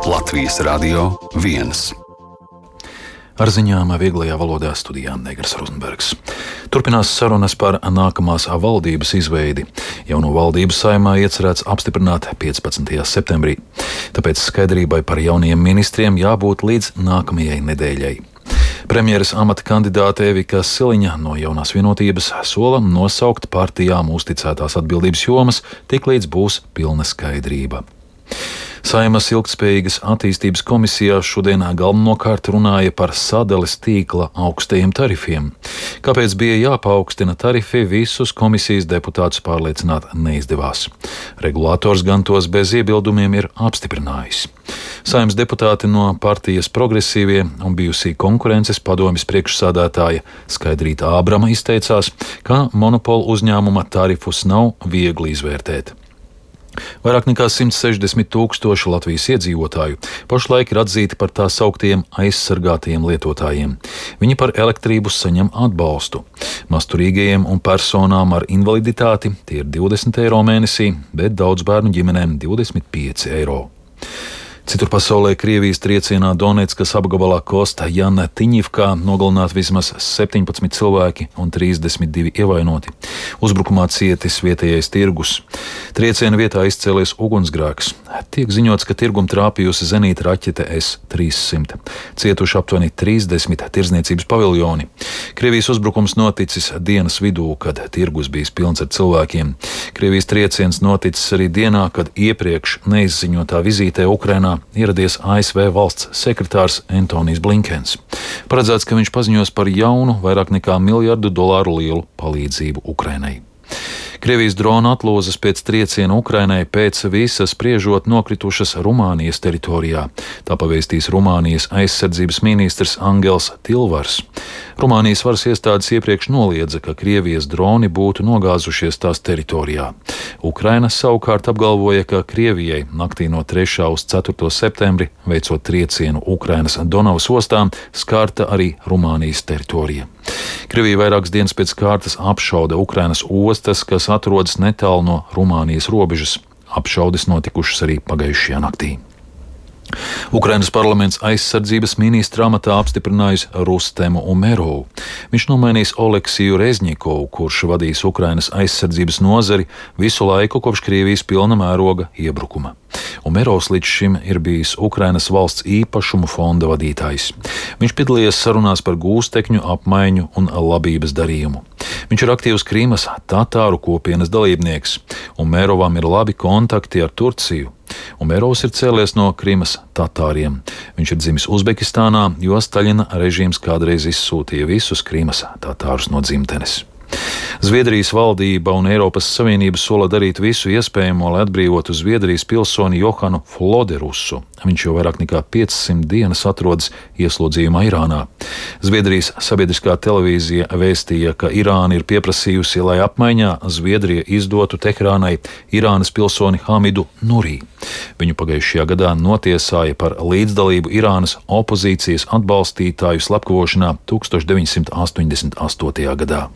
Latvijas Radio 1. Ar ziņām vieglajā valodā studijā Negras Rozenbergs. Turpinās sarunas par nākamās valdības izveidi. Jauno valdību Saeimā iecerēts apstiprināt 15. septembrī. Tāpēc skaidrībai par jauniem ministriem jābūt līdz nākamajai nedēļai. Premjeras amata kandidāte Evika Siliņa no Jaunās vienotības sola nosaukt partijām uzticētās atbildības jomas, tiklīdz būs pilna skaidrība. Saeimas ilgtspējīgas attīstības komisijā šodien galvenokārt runāja par sadales tīkla augstajiem tarifiem. Kāpēc bija jāpaaugstina tarifi, visus komisijas deputātus pārliecināt neizdevās. Regulators gan tos bez iebildumiem ir apstiprinājis. Saeimas deputāti no partijas Progresīvie un bijusī konkurences padomjas priekšsādātāja Skaidrīta Ābrama izteicās, ka monopolu uzņēmuma tarifus nav viegli izvērtēt. Vairāk nekā 160 000 Latvijas iedzīvotāju pašlaik ir atzīti par tā sauktiem aizsargātajiem lietotājiem. Viņi par elektrību saņem atbalstu. Masturīgajiem un personām ar invaliditāti tie ir 20 eiro mēnesī, bet daudz bērnu ģimenēm 25 eiro. Citur pasaulē Krievijas triecienā Donetskas apgabalā Kosta Jana Tiņivkā nogalināti vismaz 17 cilvēki un 32 ievainoti. Uzbrukumā cietis vietējais tirgus. Trieciena vietā izcēlies ugunsgrēks. Tiek ziņots, ka tirgumu trāpījusi zenīta raķete S-300. Cietuši aptuveni 30 tirdzniecības paviljoni. Krievijas uzbrukums noticis dienas vidū, kad tirgus bijis pilns ar cilvēkiem. Krievijas trieciens noticis arī dienā, kad iepriekš neizziņotā vizītē Ukrainā ieradies ASV valsts sekretārs Antonijs Blinkens. Paredzēts, ka viņš paziņos par jaunu, vairāk nekā $1 miljardu lielu palīdzību Ukrainai. Krievijas drona atlūzas pēc trieciena Ukrainai pēc visas spriežot nokritušas Rumānijas teritorijā. Tā pavēstīs Rumānijas aizsardzības ministrs Angels Tilvars. Rumānijas varas iestādes iepriekš noliedza, ka Krievijas droni būtu nogāzušies tās teritorijā. Ukraina savukārt apgalvoja, ka Krievijai naktī no 3. uz 4. septembri, veicot triecienu Ukrainas Donavas ostām, skārta arī Rumānijas teritorija. Krievija vairākas dienas pēc kārtas apšauda Ukrainas ostas, kas atrodas netālu no Rumānijas robežas. Apšaudes notikušas arī pagājušajā naktī. Ukrainas parlaments aizsardzības ministra amatā apstiprinājis Rustemu Umerovu. Viņš nomainīs Oleksiju Rezņikovu, kurš vadīs Ukrainas aizsardzības nozari visu laiku kopš Krievijas pilna mēroga iebrukuma. Umerovs līdz šim ir bijis Ukrainas valsts īpašumu fonda vadītājs. Viņš piedalījies sarunās par gūstekņu apmaiņu un labības darījumu. Viņš ir aktīvs Krīmas tatāru kopienas dalībnieks. Umerovam ir labi kontakti ar Turciju. Umerovs ir cēlies no Krimas tatāriem. Viņš ir dzimis Uzbekistānā, jo Staļina režīms kādreiz izsūtīja visus Krimas tatārus no dzimtenes. Zviedrijas valdība un Eiropas Savienība sola darīt visu iespējamo, lai atbrīvotu Zviedrijas pilsoni Johanu Floderusu. Viņš jau vairāk nekā 500 dienas atrodas ieslodzījumā Irānā. Zviedrijas sabiedriskā televīzija vēstīja, ka Irāna ir pieprasījusi, lai apmaiņā Zviedrija izdotu Teherānai Irānas pilsoni Hamidu Nurī. Viņu pagājušajā gadā notiesāja par līdzdalību Irānas opozīcijas atbalstītāju slepkavošanā 1988. gadā.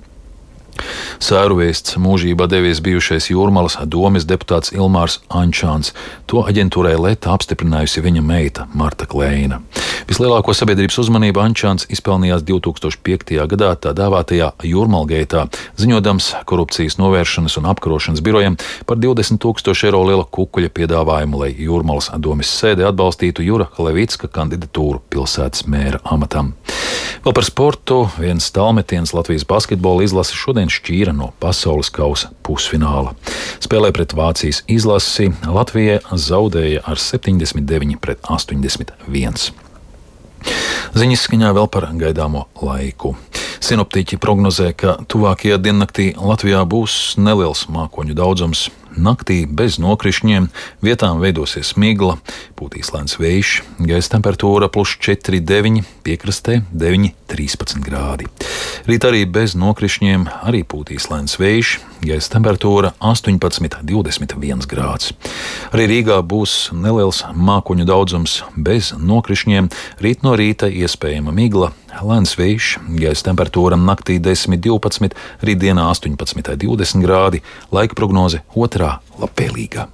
Sēru vēsts mūžībā devies bijušais Jūrmalas domes deputāts Ilmārs Ančāns. To aģentūrai Leta apstiprinājusi viņa meita Marta Kleina. Vislielāko sabiedrības uzmanību Ančāns izpelnījās 2005. gadā tā dēvētajā Jūrmalgeitā, ziņodams korupcijas novēršanas un apkarošanas birojam par 20 000 eiro liela kukuļa piedāvājumu, lai Jūrmalas domes sēde atbalstītu Jura Levicka kandidatūru pilsētas mēra amatam. Vēl par sportu. Viens tālmetiens Latvijas basketbola izlase šodien šķīra no pasaules kausa pusfināla. Spēlē pret Vācijas izlasi Latvija zaudēja ar 79-81. Ziņas skaņā vēl par gaidāmo laiku. Sinoptiķi prognozē, ka tuvākajā diennaktī Latvijā būs neliels mākoņu daudzums. Naktī bez nokrišņiem, vietām veidosies migla, pūtīs lēns vējš, gaisa temperatūra +4,9, piekrastē 9,13 grādi. Rīt arī bez nokrišņiem, arī pūtīs lēns vējš, gaisa temperatūra 18,21 grāds. Arī Rīgā būs neliels mākoņu daudzums bez nokrišņiem, rīt no rīta iespējama migla, lēns vējš, gaisa temperatūra naktī 10,12, rītdienā 18,20 grādi, laika prognoze otrā labvēlīgā.